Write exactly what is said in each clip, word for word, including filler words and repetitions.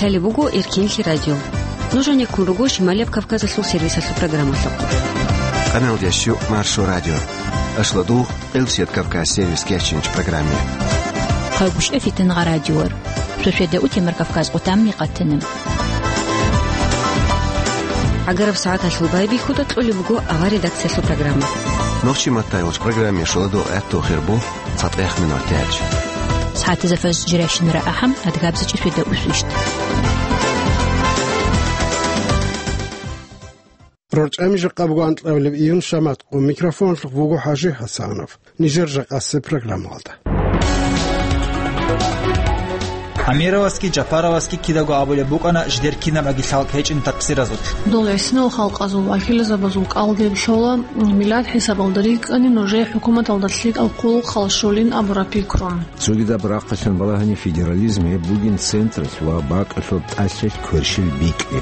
Лъалеб буго Эркенлъи радио. Нуж гьанеккун руго Шималияб Кавказалъул сервисалъул программалъухъ. Къаналдящу Маршо радио. Ашладул Элсият Кавказ сервис кечинч программе. Хъагушев Фитангъа радиор. Суседа утемар Кавказ къутамми къатана. ГӀагараб сагӀаталъул байбихьуда кьолеб буго авар редакциялъул программа. Нохчи маттай вач программе шуладул гӀатту хирбу цатӀех минут тяч. СагӀатазда фаз жиращинара ахӀам, адгабзачи суседа усвищт. РорчӀами жакъа буго анкьабилеб июн шамат къо микрофонлъухъ вуго ХӀажи ХӀасанов. Нижер жакъасе программалда. Амировасги Жапаровасги кидаго абулеб букӀана жидер кинабаги лъалкӀ гьечӀин такъсиразулъ. Дол гӀисинал халкъазул, вакилзабазул кӀалдиб лъола, миллат хӀисабалда рикӀкӀани нужее хӀукуматалда лъикӀал хъулухъал щолин абураб пикру. Цогидаб рахъалъан балагьани федерализм гьеб бугин централъ ва бакӀалъуб тӀалъилъ кверщел бикьи.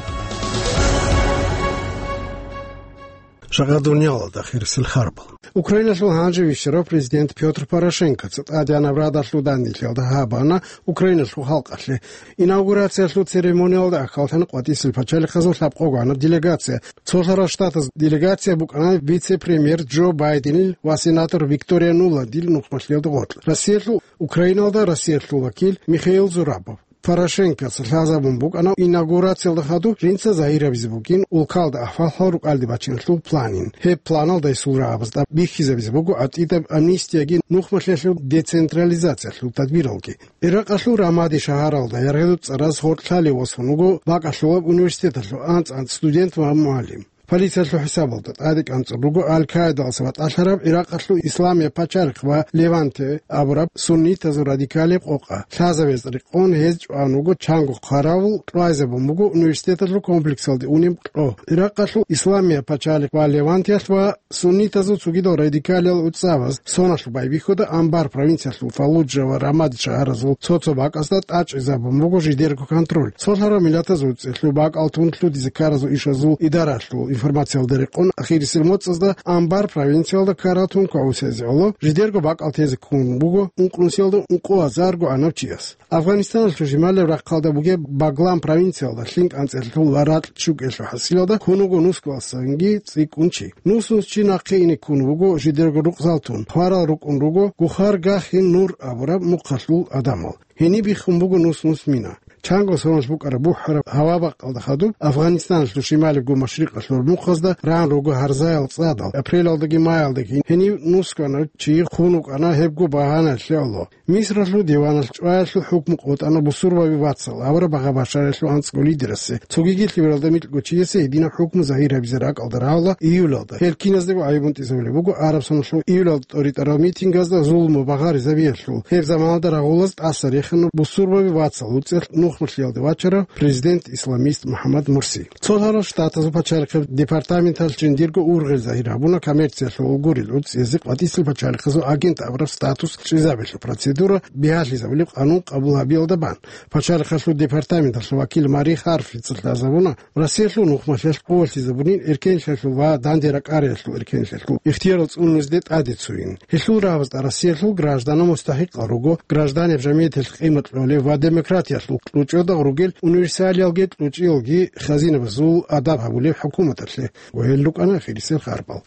Жагъа дуниялалда хирисел харбал. Украиналъул гьанже вищарав президент Пётр Порошенкоца тӀадегӀанаб радалъул данделъиялда гьабана Украиналъул халкъалъе. Инаугурациялъул церемониялда ахӀуллъана къватӀисел пачалихъазул лъабкъого гӀанаб делегация. Цолъарал Штатаз делегация букӀана вице-премьер Джо Байденил ва сенатор Виктория Нуландил нухмалъиялда гъоркь. Россиялъул Украиналда Россиялъул вакил Михаил Зурабов. Порошенкоца лъазабун букӀана инаугурациялда хадуб жинца загьирабизе бугин улкалда ахӀвал-хӀал рукӀалде бачиналъул планин. Гьеб планалда гьесул рагӀабазда бихьизабизе буго гӀатӀидаб амнистияги нухмалъиялъул децентрализациялъул тадбиралги. Иракъалъул Рамади шагьаралда яргъилаб цӀараз гъоркь лъалев восун вуго бакӀалъулаб университеталъул анцӀ-анцӀ студент ва мугӀалим. Полициялъул хӀисабалда тӀаде кӀанцӀун руго Аль-Каидалъ батӀалъараб Иракъалъул Исламияб пачалихъ ва Леванте абураб суннитазул радикалияб къокъа. Лъазабизе рекъон гьез чӀван вуго чанго хъаравул, кьвайзабун буго университеталъул комплексалде унеб кьо. Иракъалъул Исламияб пачалихъ ва Левантиялъ ва суннитазул цогидал радикалиял уцӀцӀабаз соналъ байбихьуда Анбар провинциялъул Фаллуджа ва Рамади шагьаразул цо-цо бакӀазда тӀачӀизабун буго жидерго контроль. Цолъарал миллатазул цӀехлъу бакӀал тун лъудизе ккаразул ишазул идаралъул информациялда рекъон, ахирисел моцӀазда Анбар провинциялда ккарал тун кваусезе гӀоло жидерго бакӀал тезе ккун буго ункънусиялда ункъо азарго гӀанав чияс. Афганистаналъул жималаб рахъалда бугеб Баглан провинциялда лъим кӀанцӀелъул ва ракь чукӀелъул хӀасилалда ккун вуго нусгоялдасанги цӀикӀкӀун чи. Нус-нус чи нахъе ине ккун вуго жидерго рукъзал тун, хварал рукӀун руго, гухар гахин нур абураб мухъалъул гӀадамал. Гьениб биххун буго нус-нус мина. Чанго соналъ букӀараб бухӀараб гьава-бакъалда хадуб Афганистаналъул шималибго машрикъалъул мухъазда ран руго гьарзаял цӀадал, апрелалдаги маялдаги гьенив нусгоялда чи хун вукӀана гьебго багьаналъе гӀоло. Мисралъул диваналъ чӀваялъул хӀукму къотӀана бусурбаби вацал авараб Багъа Башаралъул анцӀго лидерасе, цогиги лъимералда микьго чиясе гьединаб хӀукму загьир гьабизе ракӀалда рагьула июлалда. Гьел киназдаго гӀайиб бунтӀизабулеб буго гӀараб соналъул июлалда тӀоритӀарал митингазда зулму багъаризабиялъул. Гьеб заманалда рагъулаз тӀаса рехана бусурбаби вацал гьуцӀелъ нухмалъиялде вачарав президент-исламист МухӀаммад Мурси. Цолъарал Штатазул пачалихъеб департаменталъ жиндирго ургъел загьир гьабуна коммерциялъул гурел уцӀцӀизе къватӀисел пачалихъазул агент абураб статус чӀезабиялъул процедура бигьалъизабулеб къанун къабул гьабиялда бан. Пачалихъалъул департаменталъул вакил Мари Харфица лъазабуна, Россиялъул нухмалъиялъ къувалъизабунин эркенлъиялъул ва данде ракӀариялъул эркенлъиялъул ихтиярал цӀунунезде тӀаде цойин. Гьелъул рагӀабазда Россиялъул гражданал мустахӀикъал руго, гражданиял жамигӀаталъ къимат кьолеб ва демократиялъул кьучӀодагъ ругел универсалиялги кьучӀиялги хазинабазул адаб гьабулеб хӀукуматалъе ва гьел рукӀана хирисел харбал.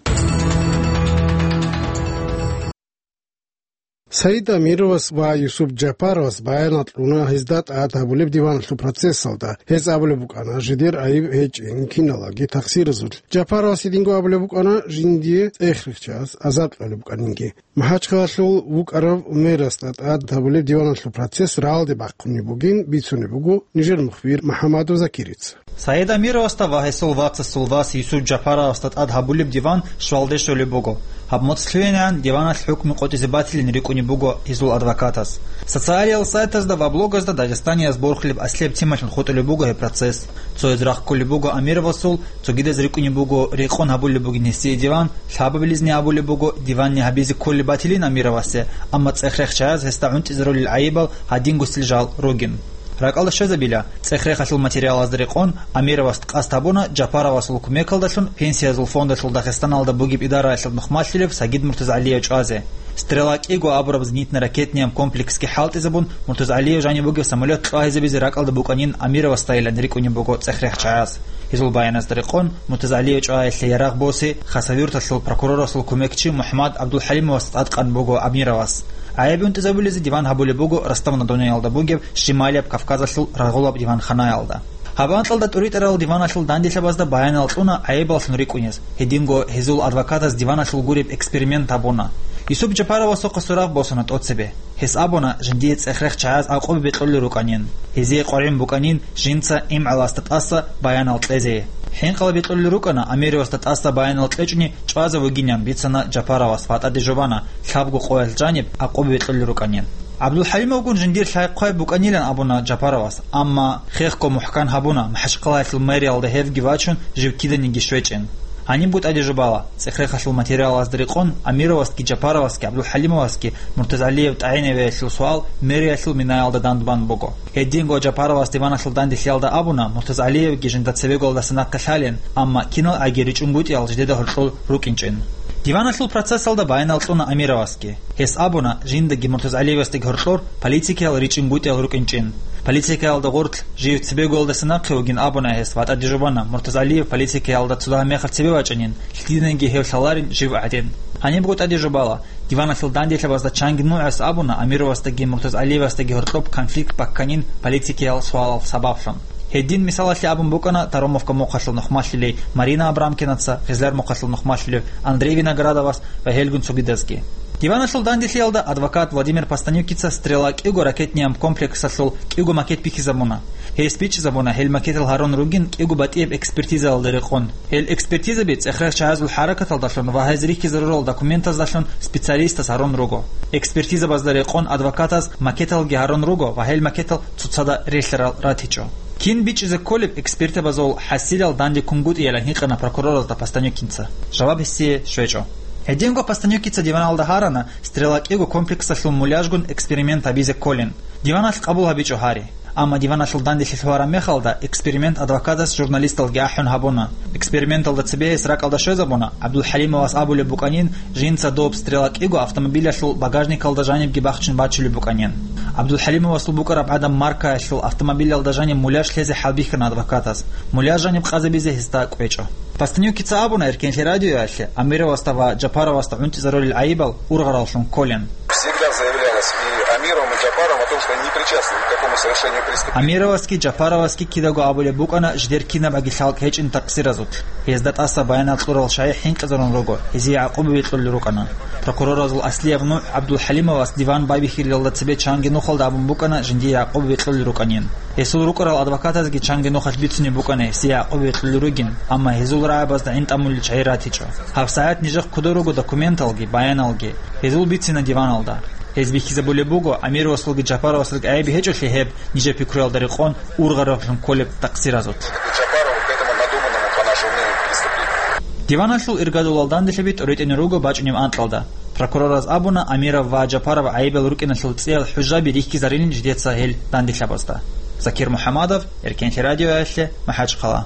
Саид Амировас ва Юсуп Жапаровас баянал кьуна гьезда тӀад гьабулеб диваналъул процессалда. Гьез абулеб букӀана, жидер гӀайиб гьечӀин киналаги такъсиразулъ. Жапаровас гьединго абулеб букӀана, жиндие цӀех рихчаялъ азаб кьолеб букӀанинги. МахӀачхъалалъул вукӀарав мэрасда тӀад гьабулеб диваналъул процесс рагӀалде бахъунеб бугин бицунеб буго нижер мухбир МухӀаммадов Закирица. Саид Амировасда ва гьесул вацасул вас Юсуп Жапаровасда тӀад гьабулеб диван щвалде щолеб буго. Гьаб моцӀ лъугӀинегӀан диваналъ хӀукму къотӀизе батилин рикӀкӀунеб буго гьезул адвокатас. Социалиял сайтазда ва блогазда дагъистанияз борхулеб аслияб темалъун хутӀулеб буго гьеб процесс. Цояз рахъ кколеб буго Амировасул, цогидаз рикӀкӀунеб буго рекъон гьабулеб бугин гьесие диван, лъабабилизни абулеб буго диванни гьабизе кколеб батилин Амировасе, амма цӀех рехчаяз гьесда гӀунтӀизарулел гӀайибал гьадингосел жал ругин. РакӀалда щвезабила, цӀех-рехалъул материалазда рекъон Амировас къасд гьабуна Жапаровасул кумекалдалъун Пенсиязул фондалъул Дагъистаналда бугеб идараялъул нухмалъулев Сагид Муртазалиев чӀвазе. «Стрела» кӀиго абураб зенитно-ракетный комплексги хӀалтӀизабун, Муртазалиев жаниб бугеб самолет кьвагьизабизе ракӀалда букӀанин Амировасдайилан рикӀкӀунеб буго цӀех-рех чагӀаз. Гьезул баяназда рекъон, Муртазалиев чӀваялъе ярагъ босе Хасавюрталъул прокурорасул кумекчи МухӀаммад ГӀабдулхӀалимовас тӀадкъан буго Амировас. ГӀайиб унтӀизабулезе диван гьабулеб буго Ростов-на-Донуялда бугеб Щемалияб Кавказалъул рагъулаб диванханаялда. Гьаб анкьалда тӀуритӀарал диваналъул данделъабазда баянал кьуна гӀайибаллъун рикӀкӀунез, гьединго гьезул адвокатас диваналъул гуреб эксперимент гьабуна. Юсуп Жапаровасухъа суракъ босана тӀоцебе. Гьес абуна, жиндие цӀех-рех чагӀаз гӀакъуба бекьулел рукӀанин, гьезие къваригӀун букӀанин жинца имгӀаласда тӀаса баянал кьезе. ХӀинкъала бекьулел рукӀана Амировасда тӀаса баянал кьечӀони чӀвазе вугинан, бицана Жапаровас ва тӀаде жубана, лъабго къоялъ жаниб гӀакъуба бекьулел рукӀанин. ГӀабдулхӀалимовгун жиндир лъай-хъвай букӀанилан абуна Жапаровас, амма хехго мухӀкан гьабуна, МахӀачхъалаялъул мэриялда гьевги вачун, жив киданиги щвечӀин. Гьанибго тӀаде жубала, цӀех-рехалъул материалазда рекъон Амировасги Жапаровасги ГӀабдулхӀалимовасги Муртазалиев тӀагӀинавиялъул суал мэриялъул минаялда дандбан буго. Гьединго Жапаровас диваналъул данделъиялда абуна, Муртазалиевги жинда цебеголдаса нахъе лъалин, амма киналгӀаги ричӀунгутӀиял жидеда гьоркьор рукӀинчӀин. Диваналъул процессалда баянал кьуна Амировасги. Гьес абуна, жиндаги Муртазалиевасдаги гьоркьор политикиял ричӀунгутӀиял рукӀинчӀин. Политикаялда гъорлъ жив цебеголдаса нахъе вугин абуна гьес ва тӀаде жубана, Муртазалиев политикаялда цо дагьаб мехалъ цебе вачӀанин, лъиданиги гьев лъаларин жив гӀадин. Гьанибго тӀаде жубала, диваналъул данделъабазда чанги нугӀас абуна Амировасдаги Муртазалиевасдаги гьоркьоб конфликт бакканин политикиял суалал сабаблъун. Гьедин мисалалъе абун букӀана Таромовка мухъалъул нухмалъулей Марина Абрамкинаца, Гъизлар мухъалъул нухмалъулев Андрей Виноградовас ва гьелгун цогидазги. Диваналъул данделъиялда адвокат Владимир Постанюкица «Стрела» кӀиго ракетный комплексалъул кӀиго макет бихьизабуна. Гьес бичӀчӀизабуна, гьел макетал гьарун ругин кӀиго батӀияб экспертизаялда рекъон. Гьел экспертизаби цӀех-рех чагӀазул хӀаракаталдалъун ва гьез рихьизарурал документаздалъун специалистас гьарун руго. Экспертизабазда рекъон адвокатаз макеталги гьарун руго ва гьел макетал цоцазда релълъарал ратичӀо. Кин бичӀчӀизе кколеб экспертабазул хӀасилал данде ккунгутӀиялан гьикъана прокуроразда Постанюкинца. Жаваб гьесие щвечӀо. Гьединго Постанюкица диваналда гьарана, «Стрела» кӀиго комплексалъул муляжгун эксперимент гьабизе кколин. Диваналъ къабул гьабичӀо гьари. Амма диваналъул данделъи лъугьараб мехалда эксперимент адвокатас журналисталги ахӀун гьабуна. Эксперименталда цебе гьес ракӀалда щвезабуна, ГӀабдулхӀалимовас абулеб букӀанин, жинца доб «Стрела» кӀиго автомобилялъул багажникалда жанибги бахчун бачулеб букӀанин. ГӀабдулхӀалимовасул букӀараб гӀадан маркаялъул автомобилялда жаниб муляж лъезе хӀалбихьана адвокатас. Муляж жаниб къазабизе гьесда кӀвечӀо. Постанюкица абуна Эркенлъи радиоялъе, Амировасда ва Жапаровасда гӀунтӀизарулел гӀайибал ургъараллъун кколин. Всегда заявлялось и Амировым, и Джапаровым о том, что они не причастны ни к какому совершению преступления. Амировасги Джапаровасги кидаго абулеб букӀана жидер кинабаги лъалкӀ гьечӀин такъсиразулъ. Гьезда тӀаса баянал кьурал шагьи хӀинкъизарун руго, гьезие гӀакъуба бекьулел рукӀана. Прокуроразул аслияб нугӀ ГӀабдулхӀалимовас диван байбихьилалда цебе чанги нухалда абун букӀана жиндие гӀакъуба бекьулел рукӀанин. Гьесул рукӀарал адвокатазги чанги нухалъ бицунеб букӀана гьесие гӀакъуба бекьулел ругин, амма гьезул рагӀабазда гӀин тӀамулел чагӀи ратичӀо. ГьабсагӀат нижехъ ккода руго документалги, баяналги. Гьезул бицина диваналда. Гьез бихьизабулеб буго, Амировасулги Джапаровасулги гӀайиб гьечӀолъи гьеб, нижер пикруялда рекъон, ургъараллъун кколеб такъсиразулъ. Джапарова к этому надуманному, по нашему мнению, преступлению. Диваналъул иргадулал данделъаби тӀоритӀине руго бачӀунеб анкьалда. Прокурораз абуна, Амиров ва Джапаров гӀайибал рукӀиналъул цӀиял хӀужаби рихьизарилин жидеца гьел данделъабазда. Закир МухӀамадов, Эркенлъи радиоялъе, МахӀачхъала.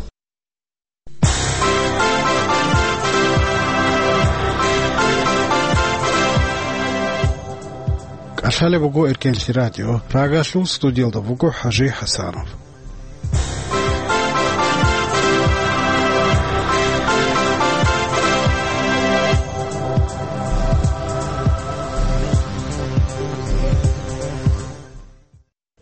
КӀалъалеб буго Эркенлъи радио. Прагалъул студиялда буго ХӀажи ХӀасанов.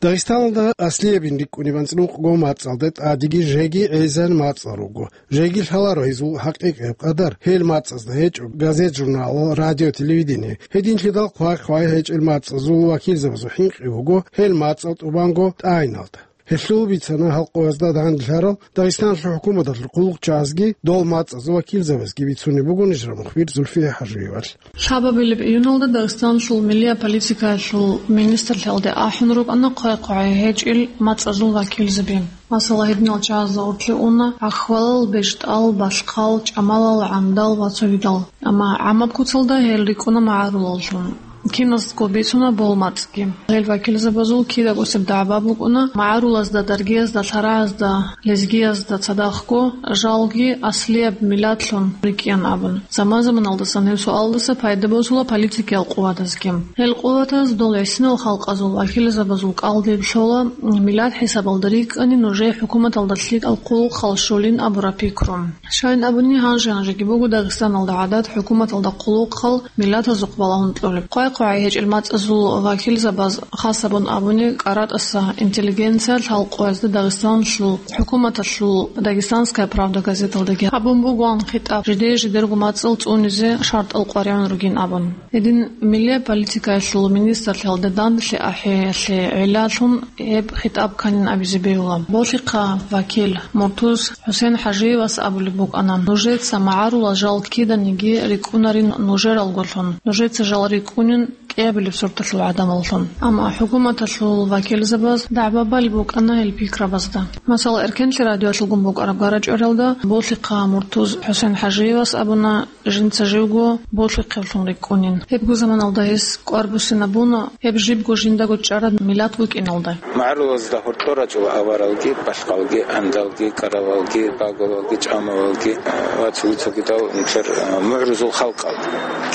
Дагъистаналда аслиябин рикӀкӀунеб анцӀнукъго мацӀалда тӀадеги жеги гӀезегӀан мацӀал руго. Жеги лъаларо гьезул хӀакъикъияб къадар, гьел мацӀазда гьечӀо газет-журналал, радио-телевидение. Гьединлъидал хъвай-хъвай гьечӀел мацӀазул вакилзабазул хӀинкъи буго гьел мацӀал тӀубанго тӀагӀиналда. Гьелъул бицана халкъ гьезда данделъарал Дагъистаналъул хӀукуматалъул хъулухъчагӀазги, дол мацӀазул вакилзабазги бицунеб буго нижер мухбир Зульфия ХӀажиевалъ. Лъабабилеб июналда Дагъистаналъул миллияб политикаялъул министрлъиялде ахӀун рукӀана хъвай-хъвай гьечӀел мацӀазул вакилзаби. Масала, гьединал чагӀазда уркьи уна ахвалал, бещтӀал, балъхъал, чӀамалал, гӀамдал ва цогидал. Амма гӀамаб куцалда гьел рикӀкӀуна магӀарулаллъун. Киназго бицуна болмацӀги. Гьел вакилзабазул кидагосеб дагӀба букӀуна магӀарулазда, даргиязда, лъарагӀазда, лезгиязда цадахъго, жалги аслияб миллатлъун рикӀкӀин абун. Заман-заманалдасан гьеб суалдаса пайда босула политикиял къуватазги. Гьел къуватаз дол гӀисинал халкъазул вакилзабазул кӀалдиб лъола, миллат хӀисабалда рикӀкӀани нужее хӀукуматалда лъикӀал хъулухъал щолин абураб пикру. Щайин абуни, гьанже-гьанжеги буго Дагъистаналда гӀадат хӀукуматалда хъулухъал миллатазухъ балагьун кьолеб. Къвай-къвай гьечӀел мацӀазул вакилзабаз, хасабун абуни, кӀаратӀаса интеллигенция лъал къоязда Дагъистаналъул хӀукуматалъул «Дагестанская правда» газеталдаги гьабун бугоан хитӀаб, жидее-жидерго мацӀал цӀунизе шартӀал къваригӀун ругин абун. Гьедин, миллияб политикаялъул министрлъиялда данделъи ахӀиялъе гӀиллалъун гьеб хитӀаб кканин абизе бегьула. Болъихъа вакил Муртуз ХӀусен ХӀажиевас абулеб букӀана: «Нужеца магӀарулал жал киданиги рикӀкӀунарин нужералгулъун. Нужеца жал рикӀкӀунин кӀиабилеб сорталъул гӀадамаллъун». Амма хӀукуматалъул вакилзабаз дагӀба балеб букӀана гьел пикрабазда. Масала, Эркенлъи радиоялъулгун букӀараб гара-чӀваралда Болъихъа Муртуз ХӀусен ХӀажиевас абуна, жинца живго болъихъевлъун рикӀкӀунин. Гьебго заманалда гьес кӀвар буссинабуна, гьеб жибго жиндаго чӀараб миллат букӀиналда. МагӀарулазда гьоркьор рачӀула аваралги, балъкъалги, гӀандалги, кӀаралалги, багулалги, чӀамалалги ва цоги-цогидал нилъер, а, мугӀрузул халкъал.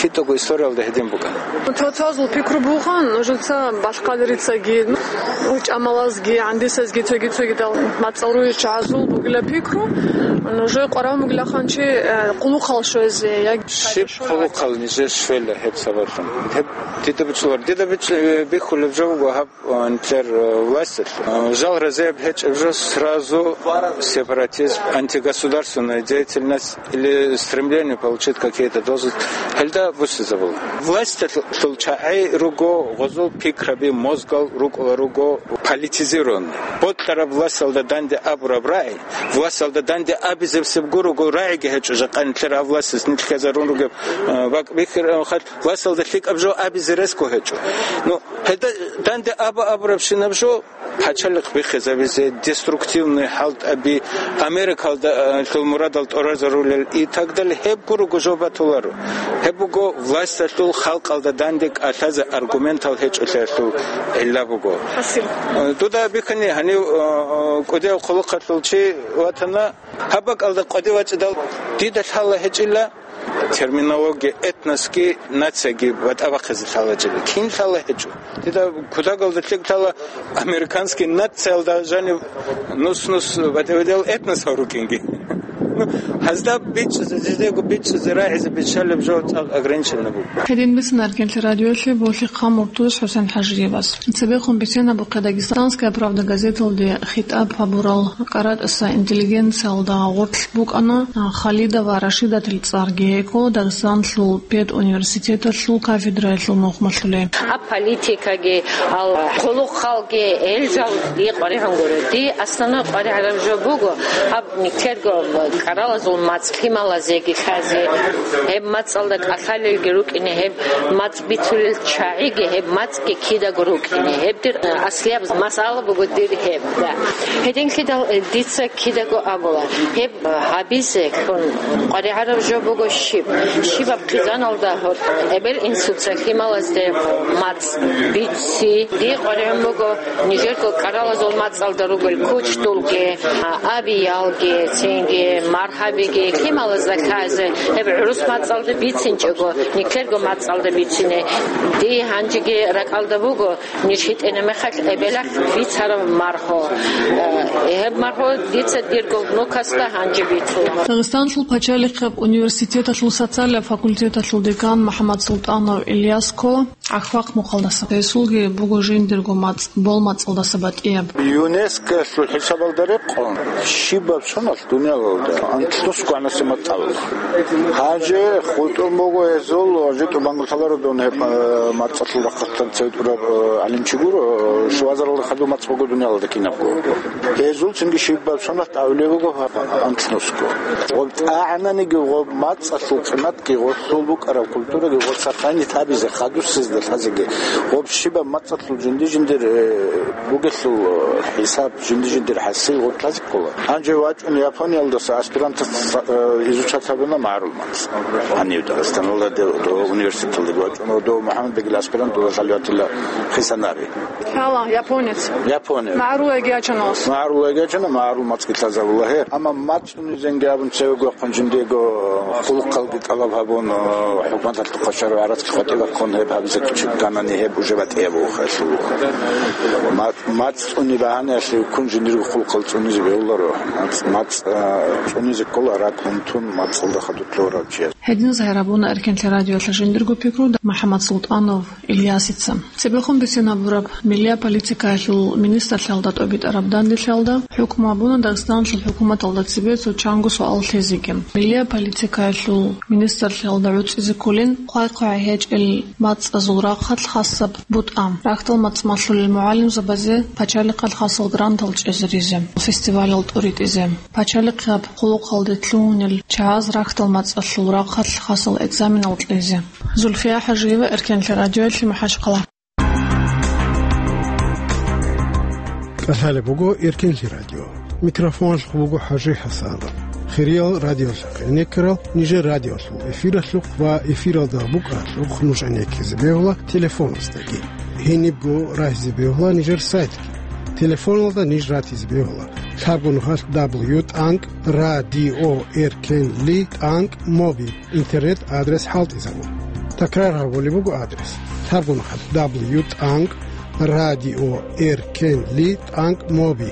Кидаго историялда гьедин букӀана. Цо-цоязул пикру бугоан, нужеца балъкъалрицаги, ну, чӀамалазги, гӀандисазги, цоги-цогидал мацӀал ругел чагӀазул бугила пикру, нужее къваригӀун бугилаха чи, э, хъулухъал щвезе, яги щиб хъулухъал нижер щвела гьеб сабаблъун. Гьеб дида бицунеб, дида бич-, э, бихьулеб жо буго гьаб, э, нилъер, э, власталъ. Э, жал разияб гьечӀеб жо сразу сепаратизм, антигосударственная деятельность или стремление получить какие-то должности. Гьелда буссизабула. Власталъул чагӀи руго, гъозул пикраби, мозгал рукӀула руго политизированный. Бокьараб власталда данде абураб рагӀи, власталда данде абизабсеб гурого рагӀиги гьечӀо, жакъа нилъер гьав властас нилъ ккезарун ругеб, э, бакӀ бихьараб хал, власталда лъикӀаб жо абизе ресго гьечӀо. Ну, гьелда данде аба-абурабщинаб жо пачалихъ биххизабизе, деструктивный хӀалтӀаби, Америкалда, э, лъул мурадал тӀуразарулел и так далее, гьеб гурого жо батуларо. Гьеб буго власталъул халкъалда данде кӀалъазе аргументал гьечӀолъиялъул гӀилла буго. Спасибо. Э, дуда бихьани гьанив, э, э, кӀудияв хъулухъалъул чи ватана, гьаб бакӀалда къваде вачӀидал, дида лъала гьечӀила терминология, этносги нацияги батӀа бахъизе лъала гьечӀила. Кин лъала гьечӀо? Дида кутагалда лъикӀ лъала американский нациялда жанив нус-нус батӀа-батӀиял этносал рукӀинги. Ну, гьазда бичӀчӀизе, жидего бичӀчӀизе, рагӀизе биччалеб жо цӀакъ ограниченно буго. Гьедин бицун Эркенлъи радиоялъе Болъихъа Муртуз ХӀусен ХӀажиевас. Цебехун бицен абухъе «Дагестанская правда» газеталде хитӀаб гьабурал кӀаратӀаса интеллигенциялда гъорлъ букӀана Халидова Рашидатил цӀарги, гьекъо Дагестанлъул педуниверситеталъул кафедраялъул мухъмалъуле. Гьаб политикаги, гьал хъулухъалги, гьел жал дие къваригӀун гуро. Дие основной къваригӀараб жо буго, гьаб нилъерго кӀаралазул мацӀ лъималазеги лъазе, гьеб мацӀалда кӀалъалелги рукӀине, гьеб мацӀ бицулел чагӀиги, гьеб мацӀги кидаго рукӀине. Гьеб дир, э, аслияб масъала буго дир гьеб, да. Гьединлъидал, э, дица кидаго абула, гьеб, э, гьабизе лъун къваригӀараб жо буго щиб? Щибаб хъизаналда гьоркьоб эбел-инсуца лъималазде мацӀ бици? Дие къваригӀун буго нижерго кӀаралазул мацӀалда ругел кучдулги, а, абиялги, цинги, маргьабиги, лъималазда лъазе, гьеб гӀурус мацӀалда бицинчӀого, нилъерго мацӀалда бицине. Дие гьанжеги ракӀалда буго, ниж хитӀина мехалъ эбелалъ бицараб маргьу. Э, гьеб маргьу дица дирго внукасда гьанже бицула. Дагъистанлъул пачалихъеб университеталъул социалияб факультеталъул декан МухӀаммадсултӀанов Ильяско ГӀахьвахъ мухъалдаса. Гьесулги буго жиндирго мацӀ, болмацӀалдаса батӀияб. ЮНЕСКОялъул хӀисабалда рекъон, щибаб соналъ дуниялалда анлънус гванасе мацӀал. Гьанже хутӀун буго гьезул, житӀу бангулъаларо дун гьеб, э, мацӀалъул рахъалъан цеве тӀураб, э, гӀалимчи гуро, э, шуазаралда хадув мацӀ буго дуниялалда кинабго. Гьезул цинги щибаб соналъ тӀагӀулеб буго анлънусго. Гъоб тӀагӀананиги, гъоб мацӀалъул къиматги, гъолъул букӀараб культураги гъоб сохранить гьабизе, хадусез Лъазеги. Гъоб щибаб мацӀалъул жинди-жиндир, э, бугелъул, э, хӀисаб жинди-жиндир хӀасил гъорлъазе ккола. Гьанже вачӀун Япониялдаса аспирантас, э, изучать гьабуна магӀарул мацӀ. Гьанив Дагъистаналда де-, до университеталде вачӀун, до МухӀаммадбегил аспирант, до Салаватилла Хисанари. Гьала, японец. Япония. МагӀарул яги ячана. МагӀарул яги ячана, магӀарул мацӀги лъазабула гьеб. Амма мацӀ цӀунизенги абун цевего вахъун жиндиего хъулухъалги тӀалаб гьабун, э, хӀукуматалъухъа шаргӀ гӀарацги къватӀиб бахъун гьеб гьабизе кканани гьеб уже батӀияб вухалъул. Ма-, мацӀ цӀуни багьанаялъе вуккун жиндирго хъулухъал цӀунизе бегьуларо. МацӀ, мацӀ, э, цӀунизе ккола ракӀ унтун мацӀалда хадур лъугьарав чияс. Гьединаз гьарабуна Эркенлъи радиоялъ жиндирго пикру МухӀаммад Султанов Ильясица. Цебехун бицинабураб миллия политикаялъул министрлъиялда тӀобитӀараб данделъиялда хӀукму гьабуна Дагъистаналъул хӀукуматалда цебе цо чанго суал лъезеги. Миллия политикаялъул министрлъиялда гӀуцӀизе кколин хъвай-хъвай гьечӀел мацӀазул рахъалъ хасаб бутӀа, рахьдал мацӀ малъулел мугӀалимзабазе пачалихъалъ хасал грантал чӀезаризе, фестивалал тӀуритӀизе, пачалихъаб хъулухъалде лъугьунел чагӀаз рахьдал мацӀалъул рахъалъ хасал экзаменал кьезе. Зульфия ХӀажиева, Эркенлъи радиоялъе, МахӀачхъала. КӀалъалеб буго Эркенлъи радио. Микрофоналъухъ буго ХӀажи ХӀасанов. Хириял радиолъахъ гӀенеккарал, нижер радиолъул эфиралъухъ ва эфиралда букӀаралъухъ нуж гӀенеккизе бегьула телефоназдаги. Гьенибго рагьизе бегьула нижер сайтги. Телефоналда ниж ратизе бегьула лъабго нухалъ дабл ю тӀанкӀ радио эркенли тӀанкӀ моби интернет адрес хӀалтӀизабун. Такрар гьабулеб буго адрес: лъабго нухалъ дабл ю тӀанкӀ радио эркенли тӀанкӀ моби.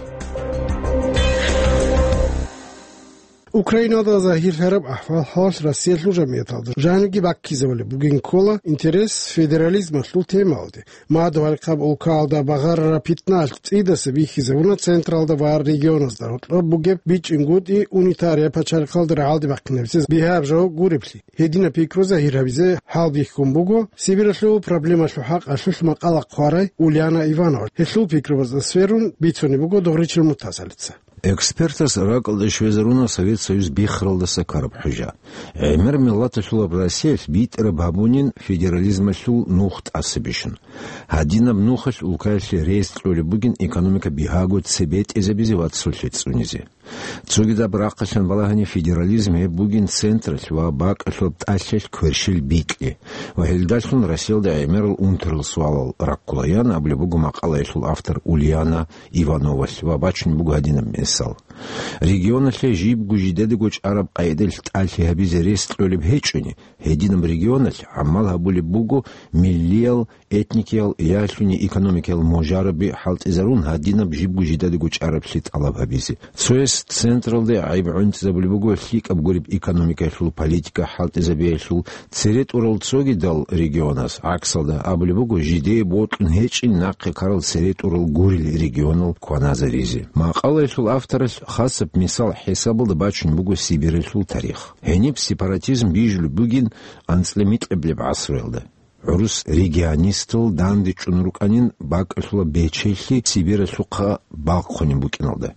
Украиналда загьирлъараб ахӀвал-хӀалалъ Россиялъул жамигӀаталда жанибги баккизабулеб бугин ккола интерес федерализмалъул темаялде. Мадугьалихъаб улкаялда багъарараб питналъ цӀидаса бихьизабуна централда ва регионазда гьоркьоб бугеб бичӀчӀингутӀи унитария пачалихъалда рагӀалде бахъинабизе бигьараб жо гуреблъи. Гьединаб пикру загьир гьабизе хӀалбихьун буго Сибиралъул проблемалъул хӀакъалъулъ макъала хъварай Ульяна Иванова. Гьелъул пикрубазда сверун бицунеб буго Догъричил Муртазалица. Экспертаз ракӀалде щвезаруна Совет Союз биххаралдаса ккараб хӀужа. ГӀемер миллаталъулаб Россиялъ битӀараб гьабунин федерализмалъул нух тӀаса бищун. Гьадинаб нухалъ улкаялъе рес кьолеб бугин экономика бигьаго цебетӀезабизе ва цолъи цӀунизе. Цогидаб рахъалъан балагьани, федерализм гьеб бугин централъ ва бакӀалъулаб тӀалъиялъ кверщел бикьи ва гьелдалъун Россиялда гӀемерал унтарал суалал раккулаян абулеб буго макъалаялъул автор Ульяна Ивановалъ ва бачун буго гьадинаб мисал. Регионалъе жибго жидедаго чӀараб къайдалъ тӀалъи гьабизе рес кьолеб гьечӀони, гьединаб регионалъ гӀамал гьабулеб буго миллиял, этникиял, ялъуни экономикиял можараби хӀалтӀизарун гьадинаб жибго жидедаго чӀараблъи тӀалаб гьабизе. Цояс централде гӀайиб гӀунтӀизабулеб буго лъикӀаб гуреб экономикаялъул политика хӀалтӀизабиялъул цере тӀурал, цогидал регионаз гӀаксалда абулеб буго жидее бокьун гьечӀин нахъе ккарал цере тӀурал гурел регионал кваназаризе. Макъалаялъул авторалъ хасаб мисал хӀисабалда бачун буго Сибиралъул тарих. Гьениб сепаратизм бижулеб бугин анцӀила микьабилеб гӀасруялда. ГӀурус регионистал дандечӀун рукӀанин бакӀалъула бечелъи Сибиралъухъа балхъунеб букӀиналда.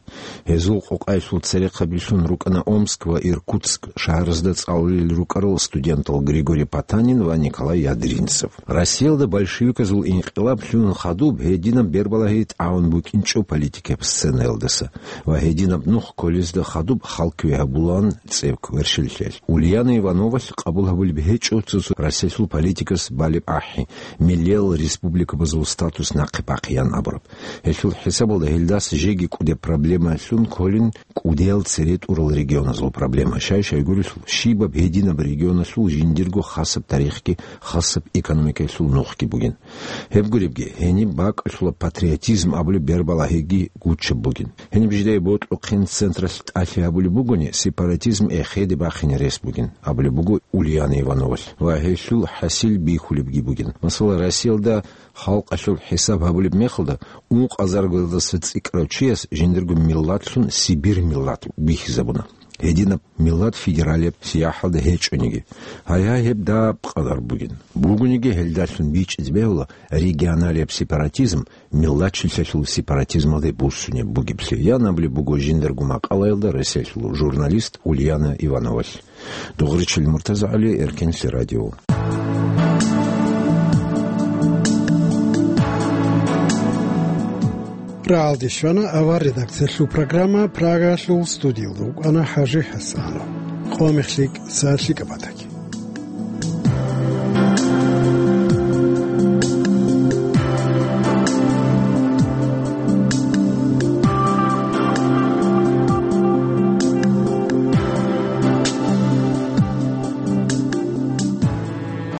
Гьезул къукъаялъул церехъабилъун рукӀана Омск ва Иркутск шагьаразда цӀалулел рукӀарал студентал Григорий Потанин ва Николай Ядринцев. Россиялда большевиказул инкъилаблъун хадуб гьединаб бербалагьи тӀагӀун букӀинчӀо политикаб сценаялдаса ва гьединаб нух кколезда хадуб халкве гьабулаан цӀеб кверщеллъиялъ. Ульяна Ивановалъ къабул гьабулеб гьечӀо цо-цо Россиялъул политикас балеб ахӀи, миллиял республикабазул статус нахъе бахъеян абураб. Гьелъул хӀисабалда гьелдас жеги кӀудеб проблемаялъун кколин кӀудиял цере тӀурал регионазул проблема. Щай-щай гурелъул, щибаб гьединаб регионалъул жиндирго хасаб тарихги, хасаб экономикаялъул нухги бугин. Гьеб гуребги, гьениб бакӀалъула патриотизм абулеб бербалагьиги гучаб бугин. Гьениб жидее бокьухъин централъ тӀалъи гьабулеб бугони, сепаратизм эхеде бахине рес бугин, абулеб буго Ульяна Ивановалъ, ва гьелъул хӀасил бихьулебги бугин. Масала, Россиялда халкъалъул хӀисаб гьабулеб мехалда, ункъазаргоялдаса цӀикӀкӀарав чияс жиндирго миллатлъун Сибир миллат бихьизабуна. Гьединаб миллат федералияб сияхӀалда гьечӀониги. Гьайгьай, гьеб даб къадар бугин. Бугониги, гьелдалъун бичӀчӀизе бегьула регионалияб сепаратизм миллатчилъиялъул сепаратизмалде буссунеб бугеблъи, ян абулеб буго жиндарго макъалаялда Россиялъул журналист Ульяна Ивановалъ. Дугъричил МуртазагӀали, Эркенлъи радио. Рагьалде щвана авар редакциялъул программа, Прагалъул студиялда вукӀана ХӀажи ХӀасанов. Къо мехлъи кӀса лъикӀаб батаги.